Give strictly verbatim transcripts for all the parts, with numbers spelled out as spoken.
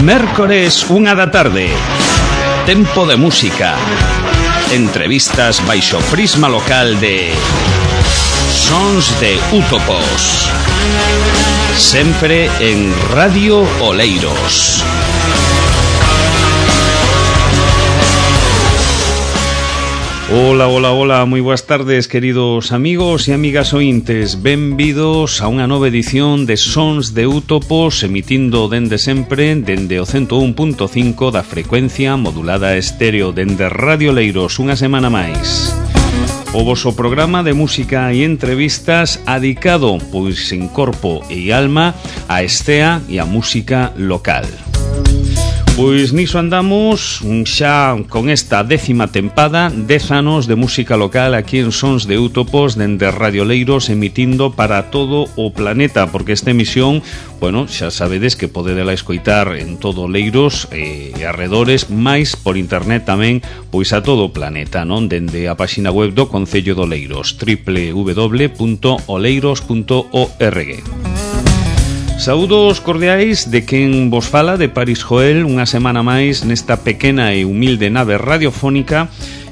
Mércores, unha da tarde. Tempo de música. Entrevistas baixo prisma local de Sons de Útopos. Sempre en Radio Oleiros. Hola, hola, hola, moi boas tardes, queridos amigos e amigas ointes. Benvidos a unha nova edición de Sons de Útopos, emitindo dende sempre, dende o ciento un punto cinco da frecuencia modulada estéreo, dende Radio Oleiros, unha semana máis. O voso programa de música e entrevistas adicado, pois en corpo e alma, a estea e a música local. Pois niso andamos xa con esta décima tempada, dez anos de música local aquí en Sons de Útopos dende Radio Oleiros, emitindo para todo o planeta, porque esta emisión, bueno, xa sabedes que podedela escoitar en todo Oleiros e arredores, máis por internet tamén, pois a todo o planeta, non? Dende a páxina web do Concello de Oleiros, doble u doble u doble u punto oleiros punto org. Saúdos cordiais de quen vos fala, de Paris Joel, unha semana máis nesta pequena e humilde nave radiofónica,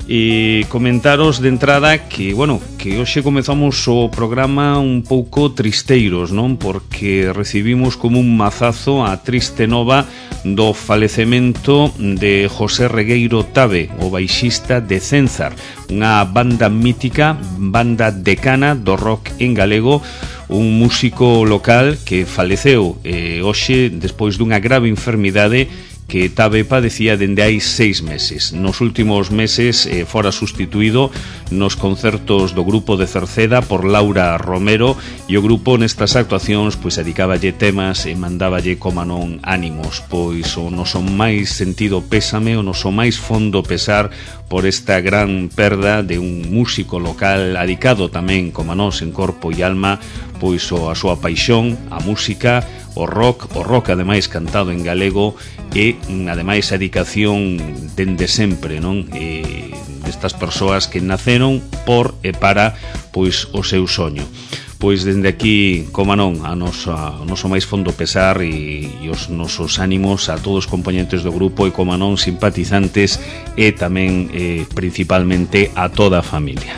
e comentaros de entrada que, bueno, que hoxe comezamos o programa un pouco tristeiros, non? Porque recibimos como un mazazo a triste nova do falecemento de José Regueiro Tabe, o baixista de Cenzar, unha banda mítica, banda decana do rock en galego, un músico local que faleceu eh, hoxe despois dunha grave enfermidade que Tabe padecía dende hai seis meses. Nos últimos meses eh, fora sustituído nos concertos do grupo de Cerceda por Laura Romero, e o grupo nestas actuacións pois dedicáballe temas e mandáballe como non ánimos, pois o noso máis sentido pésame, o noso máis fondo pesar por esta gran perda de un músico local adicado tamén como nós en corpo e alma, pois o a súa paixón, a música, o rock, o rock ademais cantado en galego, e ademais a dedicación dende sempre, non? E destas persoas que naceron por e para pois o seu soño. Pois dende aquí, como non, a nosa, o noso máis fondo pesar e, e os nosos ánimos a todos os componentes do grupo e, como non, simpatizantes e tamén, eh, principalmente, a toda a familia.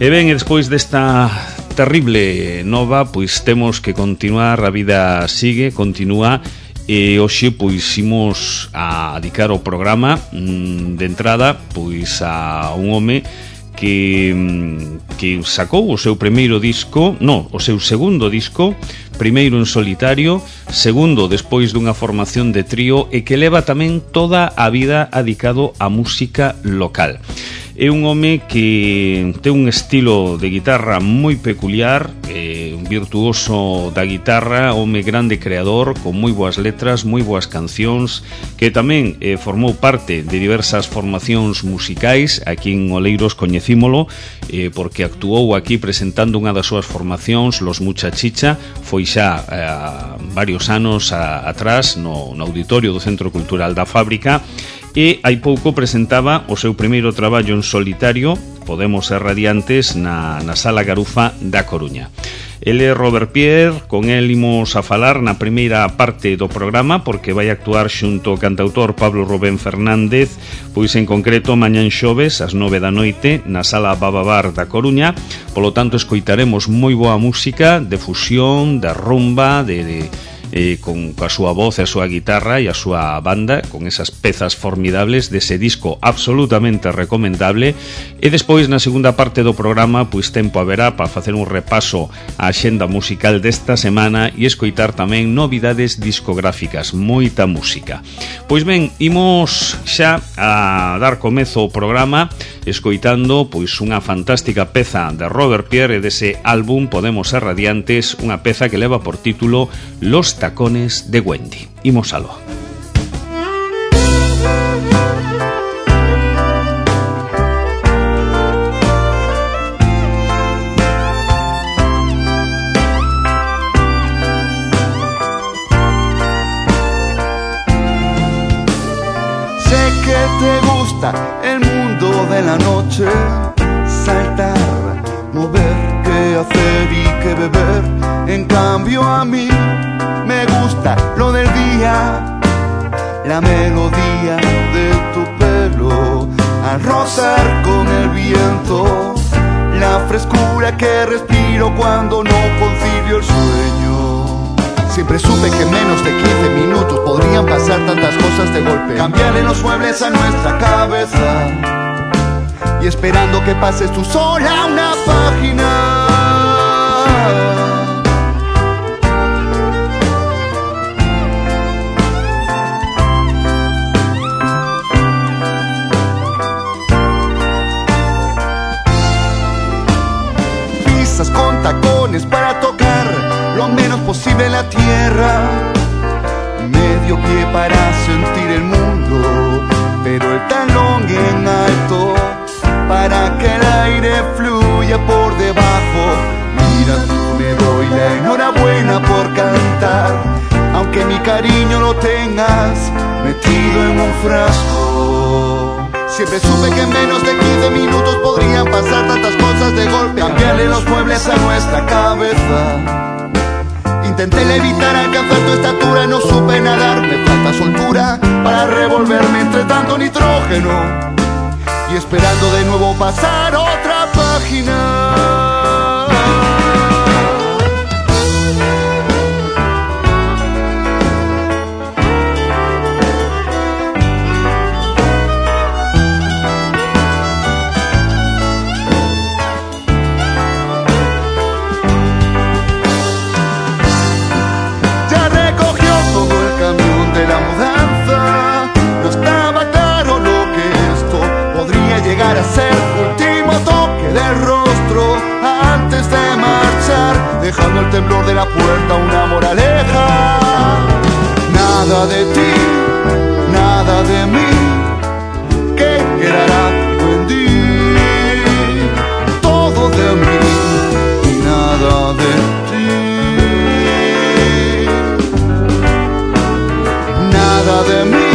E ben, e despois desta terrible nova, pois temos que continuar, a vida sigue, continúa, e hoxe pois imos a dedicar o programa mmm, de entrada pois a un home que, que sacou o seu primeiro disco, no, o seu segundo disco, primeiro en solitario, segundo despois dunha formación de trío, e que leva tamén toda a vida dedicado á música local. É un home que ten un estilo de guitarra moi peculiar, eh, un virtuoso da guitarra, home grande creador, con moi boas letras, moi boas cancións, que tamén eh, formou parte de diversas formacións musicais. Aquí en Oleiros coñecímolo, eh, porque actuou aquí presentando unha das súas formacións, Los Muchachicha, foi xa eh, varios anos a, atrás no, no auditorio do Centro Cultural da Fábrica, e hai pouco presentaba o seu primeiro traballo en solitario, Podemos ser radiantes, na, na Sala Garufa da Coruña. Ele é Robert Pierre, con el imos a falar na primeira parte do programa, porque vai actuar xunto ao cantautor Pablo Rubén Fernández, pois en concreto mañán xoves ás nove da noite na Sala Bababar da Coruña. Polo tanto, escoitaremos moi boa música de fusión, de rumba, de... de Eh, con a súa voz e a súa guitarra e a súa banda, con esas pezas formidables dese disco absolutamente recomendable. E despois, na segunda parte do programa, pois tempo haberá para facer un repaso á xenda musical desta semana e escoitar tamén novidades discográficas, moita música. Pois ben, imos xa a dar comezo ao programa escoitando pois unha fantástica peza de Robert Pierre e dese álbum Podemos ser radiantes, unha peza que leva por título Los tacones de Wendy. Imos aló. Sé que te gusta el mundo de la noche, saltar, mover, qué hacer y qué beber. En cambio a mí me me gusta lo del día, la melodía de tu pelo al rozar con el viento, la frescura que respiro cuando no concilio el sueño. Siempre supe que en menos de quince minutos podrían pasar tantas cosas de golpe. Cambiarle los muebles a nuestra cabeza y esperando que pases tú sola una página. Con tacones para tocar lo menos posible la tierra, medio pie para sentir el mundo, pero el talón en alto para que el aire fluya por debajo. Mira, tú me doy la enhorabuena por cantar, aunque mi cariño lo tengas metido en un frasco. Siempre supe que en menos de quince minutos podrían pasar tantas cosas de golpe. Cambiarle los muebles a nuestra cabeza. Intenté levitar, alcanzar tu estatura, no supe nadar, me falta soltura para revolverme entre tanto nitrógeno y esperando de nuevo pasar otra página. Llegar a ser último toque del rostro antes de marchar, dejando el temblor de la puerta una moraleja. Nada de ti, nada de mí, ¿qué quedará en ti? Todo de mí y nada de ti. Nada de mí,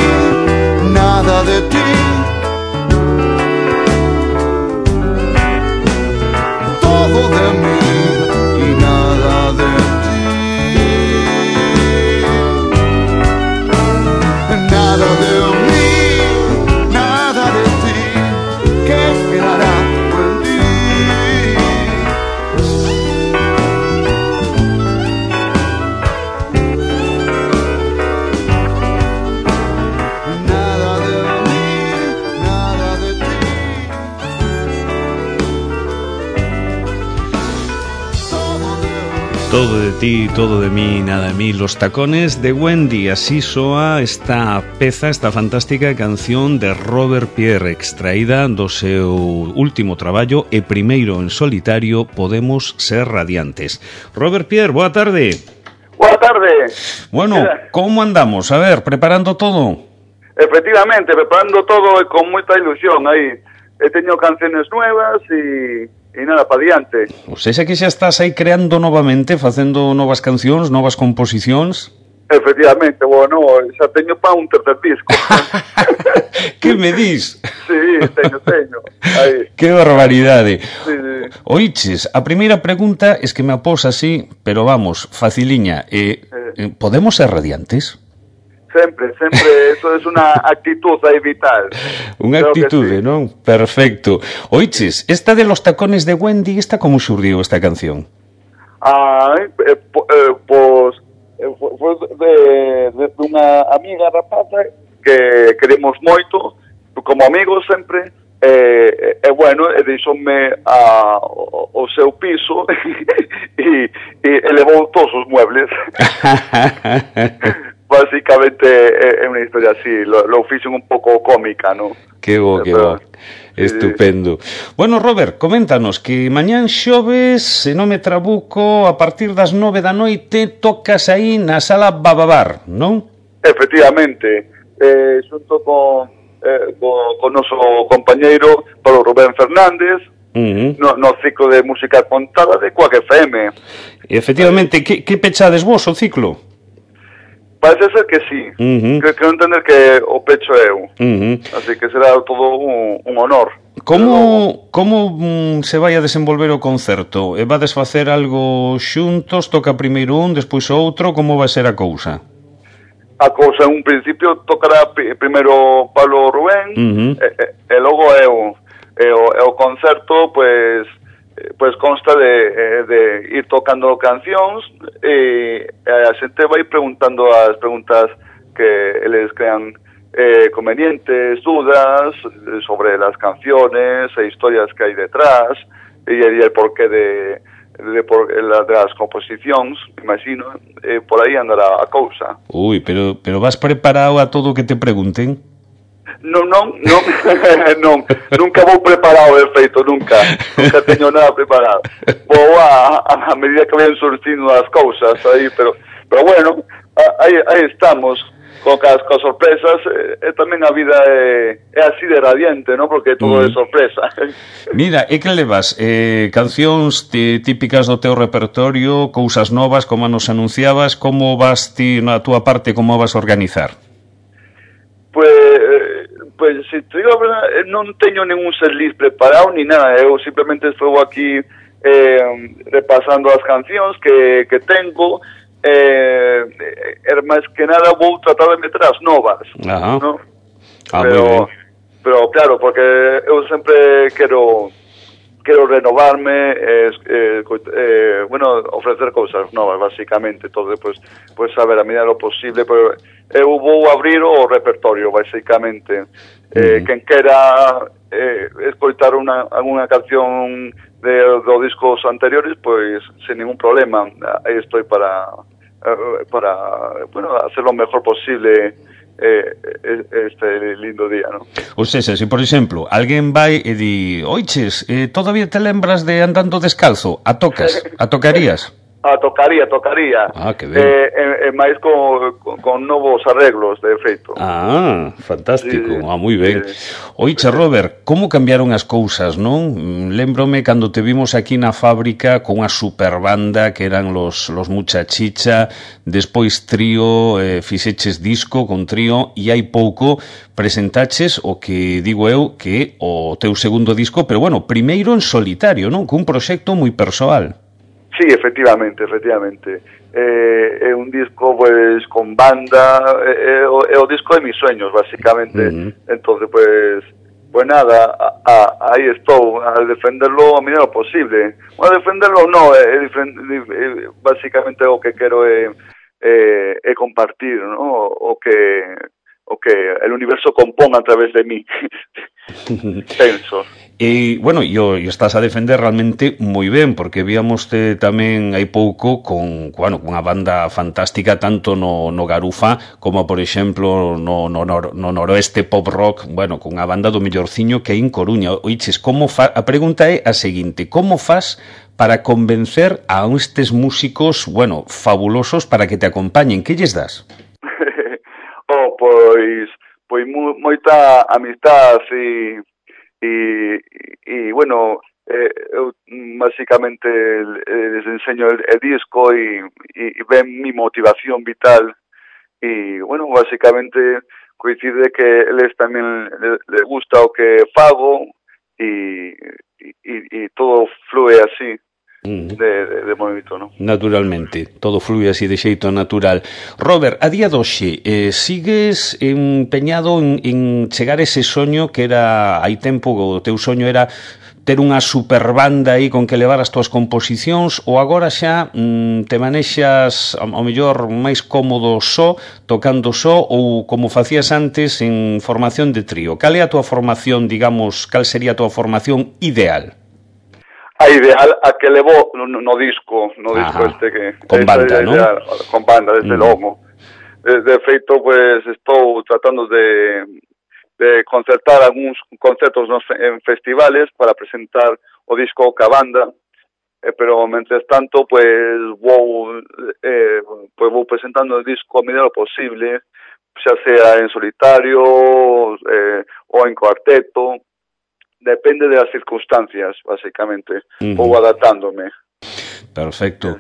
nada de ti. Todo de mí y nada de ti. Nada de mí, nada de ti, ¿qué quedará en ti? Nada de mí, nada de ti. Todo de ti, todo de mí, nada de mí. Los tacones de Wendy, así soa esta peza, esta fantástica canción de Robert Pierre, extraída do seu último traballo e primeiro en solitario, Podemos ser radiantes. Robert Pierre, boa tarde. Boa tarde. Bueno, como andamos? A ver, preparando todo. Efectivamente, preparando todo e con moita ilusión aí. He tenido canciones nuevas e... E nada, pa diante. O sea, que xa estás aí creando novamente, facendo novas cancións, novas composicións. Efectivamente, bueno, xa teño pa un tercer disco. Que me dis? Sí, teño, teño. Aí. Que barbaridade. Sí, sí. Oiches, a primeira pregunta es que me após así, pero vamos, faciliña. Eh, eh. ¿Podemos ser radiantes? Sempre, sempre, eso es una actitud aí vital. Unha actitude, sí. Non? Perfecto. Oiches, esta de los tacones de Wendy, esta como xurdiu esta canción? Ah, eh, eh, pues, eh, foi de, de unha amiga rapaza que queremos moito, como amigos sempre, e, eh, eh, bueno, e deixoume a, o, o seu piso e, e elevou todos os muebles. Básicamente é unha historia así, lo, lo fixen un pouco cómica, ¿no? Que bo, que bo. Estupendo. Sí. Bueno, Robert, coméntanos que mañán xoves, se non me trabuco, a partir das nove da noite tocas aí na sala Bababar, non? Efectivamente, eh, xunto con, eh, con, con noso compañeiro Pablo Rubén Fernández, uh-huh. no, no ciclo de música contada de Quack F M. Efectivamente, que, que pechades vos o ciclo? Parece ser que sí. Uh-huh. Creo que non entender que o pecho é eu. Uh-huh. Así que será todo un, un honor. Como, como mm, se vai a desenvolver o concerto? E vades facer algo xuntos? Toca primeiro un, despois outro? Como vai ser a cousa? A cousa, en un principio, tocará p- primeiro Pablo Rubén, Uh-huh. e, e, e logo eu. E o, e o concerto, pues, pues consta de, de ir tocando cancións e a xente vai preguntando as preguntas que eles crean eh, convenientes, dudas sobre las canciones e historias que hay detrás y, y el porqué de, de, por, la, de las composicións, imagino, eh, por aí andará a cousa. Ui, pero, pero vas preparado a todo o que te pregunten? Non, non, non, non, nunca vou preparado, de feito, nunca, nunca teño nada preparado. Vou a, a, a medida que vayan surgindo as cousas aí, pero, pero bueno, aí, aí estamos, con as, con sorpresas, e, e tamén a vida é, é así de radiante, non? Porque todo mm. é sorpresa. Mira, e que levas? Eh, cancións tí, típicas do teu repertorio, cousas novas, como nos anunciabas, como vas ti na túa parte, como vas a organizar? Pues, pues si te digo a verdade, non teño ningún setlist preparado ni nada, eu simplemente estou aquí eh, repasando as cancións que, que tengo, eh, eh, máis que nada vou tratar de meter as novas. Ajá. ¿No? Ah, pero, pero claro, porque eu sempre quero quero renovarme, eh, eh, eh, bueno, ofrecer cousas novas, basicamente, todo, pues, pues a ver, a medida lo posible, pero eu vou abrir o repertorio, basicamente. Eh, uh-huh. Quen quera eh, escoitar una, alguna canción de, de discos anteriores, pues sin ningún problema, aí estoy para, para bueno, hacer lo mejor posible Eh, este lindo día, ¿no? Ou seja, se por exemplo alguén vai e di, oiches, eh, todavía te lembras de Andando Descalzo? A tocas, a tocarías? A tocaría, tocaría. Ah, que ben. Eh, eh, eh, máis con, con, con novos arreglos, de feito. Ah, fantástico. Sí, ah, moi ben. sí. Oiche, Robert, como cambiaron as cousas, non? Lembrome cando te vimos aquí na fábrica con unha superbanda que eran los, los Muchachicha, despois trío, eh, fixeches disco con trío, e hai pouco presentaches o que digo eu que o teu segundo disco, pero bueno, primeiro en solitario, non? Cun proxecto moi persoal. Sí, efectivamente, efectivamente. Eh, é un disco, pues, con banda, é, é, é o disco de mis sueños, básicamente. Uh-huh. Entonces, pues, pues nada, a, a, aí estou, a defenderlo a medida posible. Bueno, a defenderlo no, é, é, é, básicamente o que quero é, é, é compartir, ¿no? O que, o que el universo componga a través de mí. Penso. E, bueno, e o estás a defender realmente moi ben, porque víamos tamén hai pouco con, bueno, unha banda fantástica tanto no, no Garufa como, por exemplo, no, no, no, no noroeste pop rock, bueno, con unha banda do mellorciño que hai en Coruña. Oiches, como fa... a pregunta é a seguinte, como fas para convencer a estes músicos, bueno, fabulosos para que te acompañen? Que lles das? oh, pois, pois moita amistad e... Y, y bueno, eh, eu básicamente les enseño el, el disco y, y, y ven mi motivación vital y bueno, básicamente coincide que les también le, le gusta o que fago y, y, y todo flúe así. De, de, de movimento, ¿no? Naturalmente, todo flúe así de xeito natural. Robert, a día doxe, eh, sigues empeñado en, en chegar ese soño que era, hai tempo, o teu soño era ter unha superbanda aí con que levar as túas composicións, ou agora xa mm, te manexas ao mellor máis cómodo só, tocando só, ou como facías antes en formación de trío? Cal é a túa formación, digamos, cal sería a túa formación ideal? A ideal a que levo no, no disco, no disco este que... Con banda, ¿no? Ideal, con banda, desde mm. logo. De, de feito, pues, estou tratando de, de concertar algúns concertos nos, en festivales para presentar o disco ca banda, eh, pero, mentres tanto, pues, vou, eh, pues, vou presentando o disco a medida posible, xa sea en solitario eh, ou en cuarteto. Depende de las circunstancias, básicamente. Uh-huh. Vou adaptándome. Perfecto.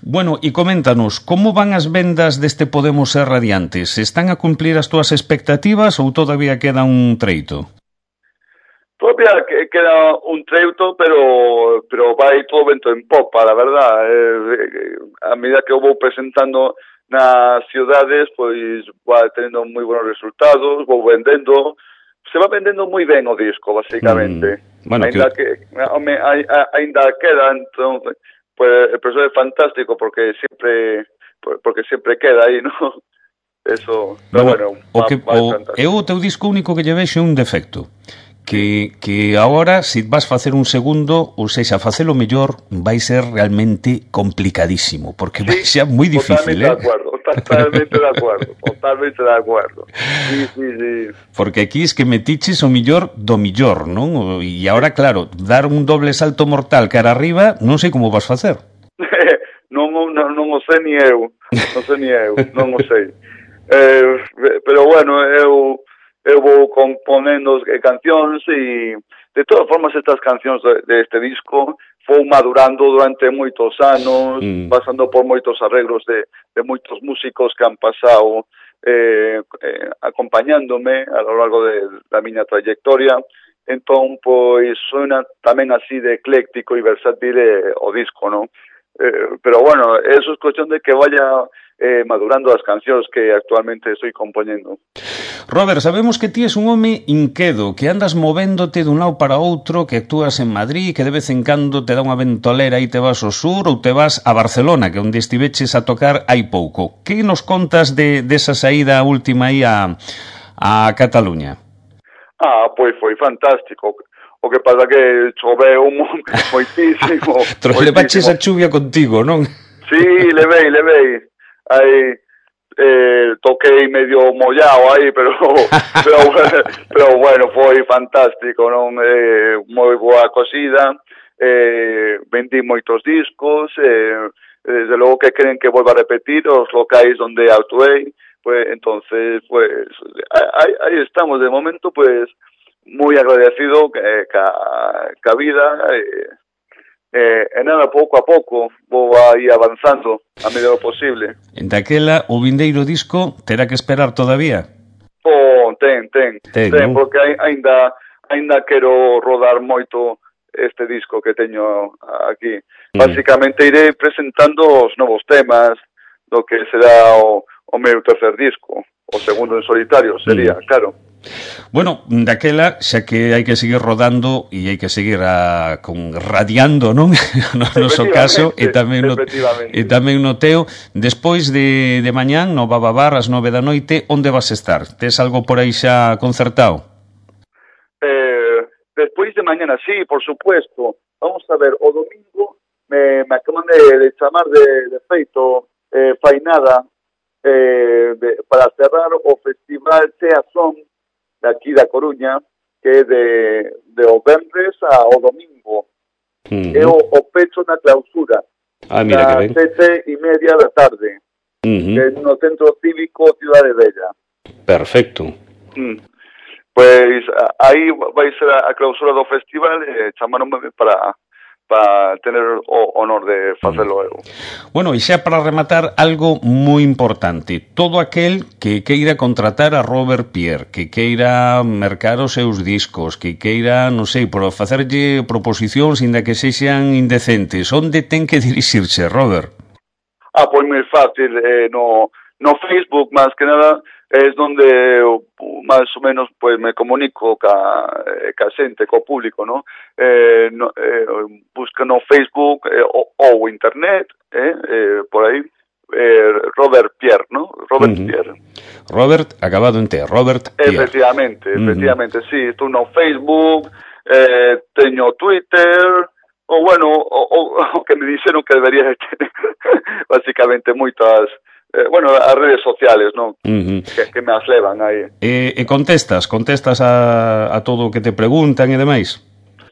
Bueno, e coméntanos, como van as vendas deste Podemos Ser Radiantes? Están a cumplir as túas expectativas ou todavía queda un treito? todavía que queda un treuto, pero pero vai todo vento en popa, la verdad. Eh, a medida que eu vou presentando nas ciudades, pois vai tendo moi buenos resultados, vou vendendo, se va vendendo moi ben o disco, basicamente. Mm, bueno, ainda que... que home, ainda queda, entón, pues, el profesor é fantástico porque sempre porque sempre queda aí, ¿no? Eso, pero bueno, bueno, o va, que va o, eu o teu disco único que lle vexo é un defecto. Que, que agora, se si vas facer un segundo, ou seja, facelo mellor, vai ser realmente complicadísimo, porque sí, vai ser moi difícil, totalmente eh? de acuerdo, totalmente de acuerdo, totalmente de acuerdo. Sí, sí, sí. Porque aquí es que metiches o millor do millor, non? E agora, claro, dar un doble salto mortal cara arriba, non sei como vas facer. non, non, non o sei ni eu, non sei ni eu, non o sei. Eh, pero bueno, eu... eu vou componendo cancións e de todas formas estas cancións de, de este disco vou madurando durante moitos anos, mm. pasando por moitos arreglos de, de moitos músicos que han pasado eh, eh, acompañándome a lo largo de, da miña trayectoria. Entón, pois, suena tamén así de ecléctico e versátil eh, o disco, non? Eh, pero bueno, eso es cuestión de que vaya eh, madurando as cancións que actualmente estoy compoñendo. Robert, sabemos que ti és un home inquedo, que andas movéndote dun lado para outro, que actúas en Madrid, que de vez en cando te dá unha ventolera e te vas ao sur ou te vas a Barcelona, que onde estiveches a tocar hai pouco. Que nos contas de desa saída última aí a, a Cataluña? Ah, pois foi fantástico. O que pasa que choveu moitísimo. Levaches a chuvia contigo, non? Sí, levei, levei. Aí eh, toquei medio mollado aí, pero pero, pero bueno, foi fantástico, non? Eh, moi boa cosida, eh, vendí moitos discos, eh, desde logo que queren que volva a repetir os locais onde actuei, pues entonces, pues, aí, aí estamos, de momento, pues, moi agradecido que ca, ca vida, eh, Eh, e nada, pouco a pouco vou aí avanzando a medida do posible. En daquela, o vindeiro disco terá que esperar todavía? Oh, ten, ten, ten, ten ¿no? Porque ainda ainda quero rodar moito este disco que teño aquí. Mm. Básicamente iré presentando os novos temas do que será o, o meu tercer disco, o segundo en solitario sería, mm. claro. Bueno, daquela, xa que hai que seguir rodando e hai que seguir a, con radiando, non? No noso caso, e tamén no, e tamén no teo, despois de, de mañán, no Bababar, ás nove da noite, onde vas estar? Tes algo por aí xa concertado? Eh, despois de mañana, sí, por supuesto. Vamos a ver, o domingo me, me acaban de, de chamar de, de feito eh, Fainada eh, de, para cerrar o festival Sea Son de aquí da Coruña, que é de, de o venres ao domingo. Uh-huh. É o, o pecho na clausura. Ah, mira que ben. Sete e media da tarde. Uh-huh. No Centro Cívico Cidade Bella. Perfecto. Mm. Pois aí vai ser a clausura do festival e chamaronme para para tener o honor de facelo eu. Bueno, e xa para rematar, algo moi importante. Todo aquel que queira contratar a Robert Pierre, que queira mercar os seus discos, que queira, non sei, por facerlle proposicións inda que sexan indecentes, onde ten que dirixirse, Robert? Ah, pois moi fácil, eh, no, no Facebook, máis que nada, es donde máis ou menos pues me comunico ca, ca xente, co público, ¿no? Eh, no eh, busca no Facebook eh, ou, ou internet, eh, eh, por aí, eh, Robert Pierre, ¿no? Robert uh-huh. Pierre. Robert, acabado en T, Robert Pierre. Efectivamente, efectivamente, uh-huh. sí, estou no Facebook, eh, teño Twitter, ou bueno, o, o, o que me dixeron que debería ter, básicamente, moitas... Eh, bueno, as redes sociales, non? Uh-huh. Que, que me as levan aí. E, e contestas? Contestas a, a todo o que te preguntan e demais?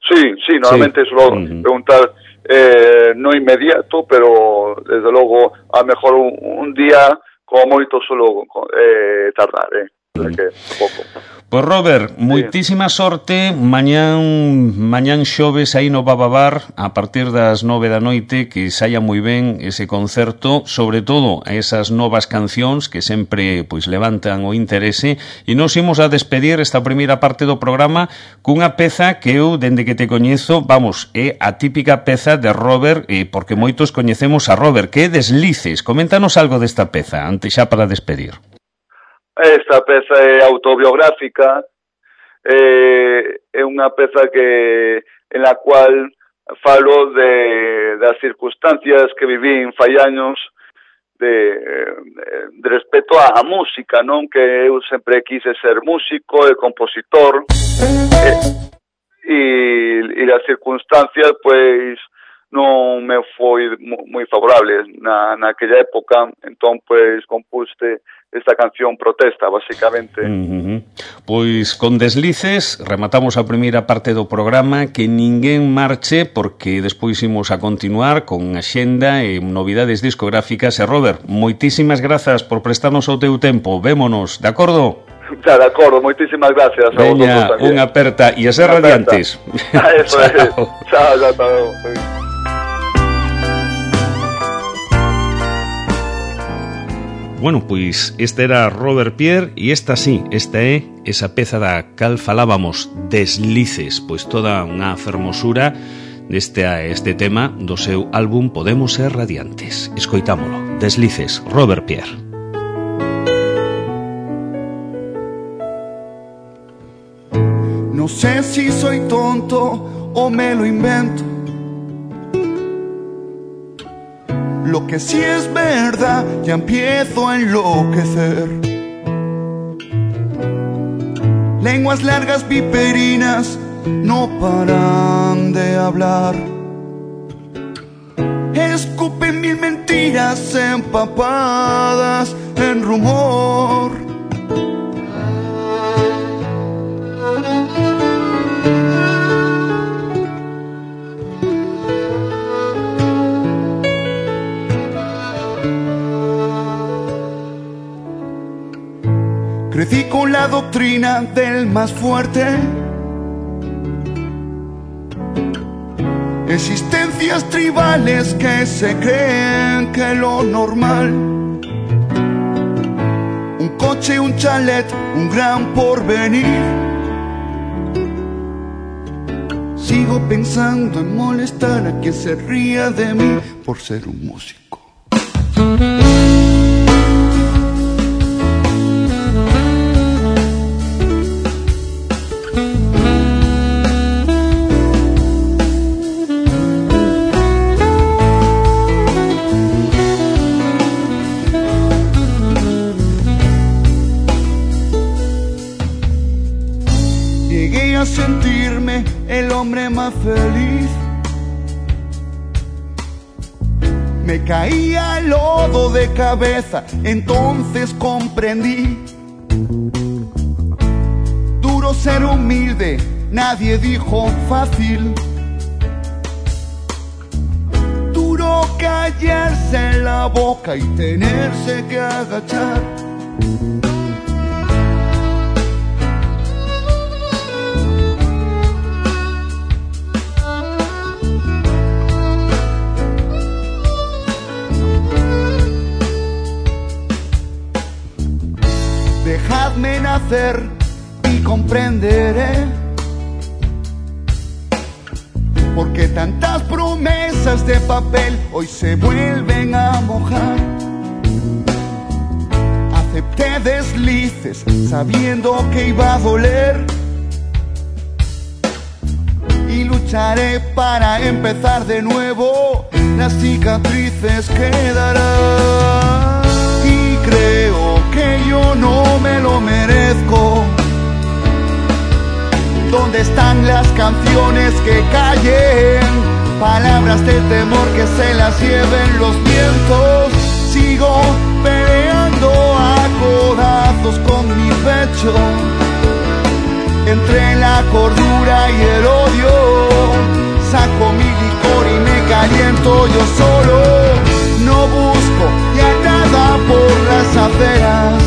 Sí, sí, normalmente sí. Suelo uh-huh. preguntar eh, no inmediato, pero desde logo a mejor un, un día como moito suelo eh, tardar, eh. que pouco. Pois Robert, moitísima sorte mañán mañán xoves aí no Bababar a partir das nove da noite, que saia moi ben ese concerto, sobre todo a esas novas cancións que sempre pois levantan o interese, e nos imos a despedir esta primeira parte do programa cunha peza que eu, dende que te coñezo, vamos, é a típica peza de Robert, eh, porque moitos coñecemos a Robert, que é Deslices. Coméntanos algo desta peza, antes xa para despedir. Esta peza é autobiográfica, eh, é unha peza que en la cual falo de das circunstancias que vivín fai años de, de respecto á música, non? Que eu sempre quise ser músico e compositor, e, e, e as circunstancias, pois, non me foi moi favorable na, naquella época, entón, pois, compuste esta canción protesta, basicamente. Uh-huh. Pois con Deslices rematamos a primeira parte do programa, que ninguén marche porque despois imos a continuar con axenda e novidades discográficas. E Robert, moitísimas grazas por prestarnos o teu tempo. Vémonos, de acordo? Xa, de acordo, moitísimas gracias. Veña, unha aperta e a ser radiantes. Eso é. Chao, chao, chao. Bueno, pois este era Robert Pierre e esta sí, esta é esa peza da cal falábamos, Deslices, pois toda unha fermosura deste este tema do seu álbum Podemos ser radiantes. Escoitámolo, Deslices, Robert Pierre. No sé si soy tonto o me lo invento. Lo que sí es verdad, ya empiezo a enloquecer. Lenguas largas viperinas no paran de hablar. Escupen mil mentiras empapadas en rumor. Crecí con la doctrina del más fuerte. Existencias tribales que se creen que lo normal. Un coche, un chalet, un gran porvenir. Sigo pensando en molestar a quien se ría de mí por ser un músico. Sentirme el hombre más feliz. Me caía el lodo de cabeza, entonces comprendí. Duro ser humilde, nadie dijo fácil. Duro callarse la boca y tenerse que agachar. Dejadme nacer y comprenderé porque tantas promesas de papel hoy se vuelven a mojar. Acepté deslices sabiendo que iba a doler y lucharé para empezar de nuevo. Las cicatrices quedarán y creo que yo no me lo merezco. ¿Dónde están las canciones que callen? Palabras de temor que se las lleven los vientos. Sigo peleando a codazos con mi pecho. Entre la cordura y el odio saco mi licor y me caliento yo solo. No busco ya nada por las aceras.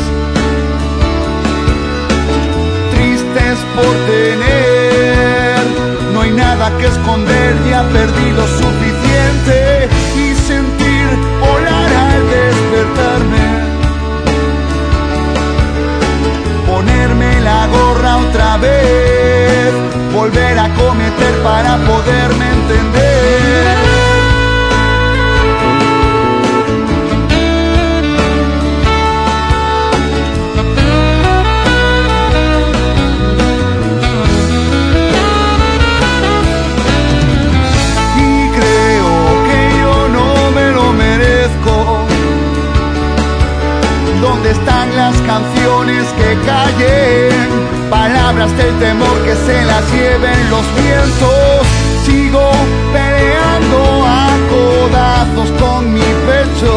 que callen, palabras del temor que se las lleven los vientos. Sigo peleando a codazos con mi pecho,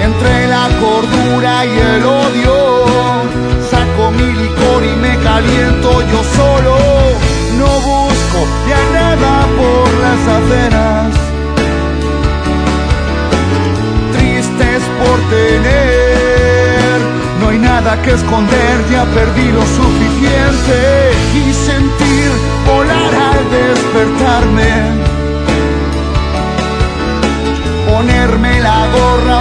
entre la cordura y el odio. Saco mi licor y me caliento yo solo. No busco ya nada por las aceras, tristes por tener. No hay nada que esconder, ya perdí lo suficiente. Y sentir volar al despertarme, ponerme la gorra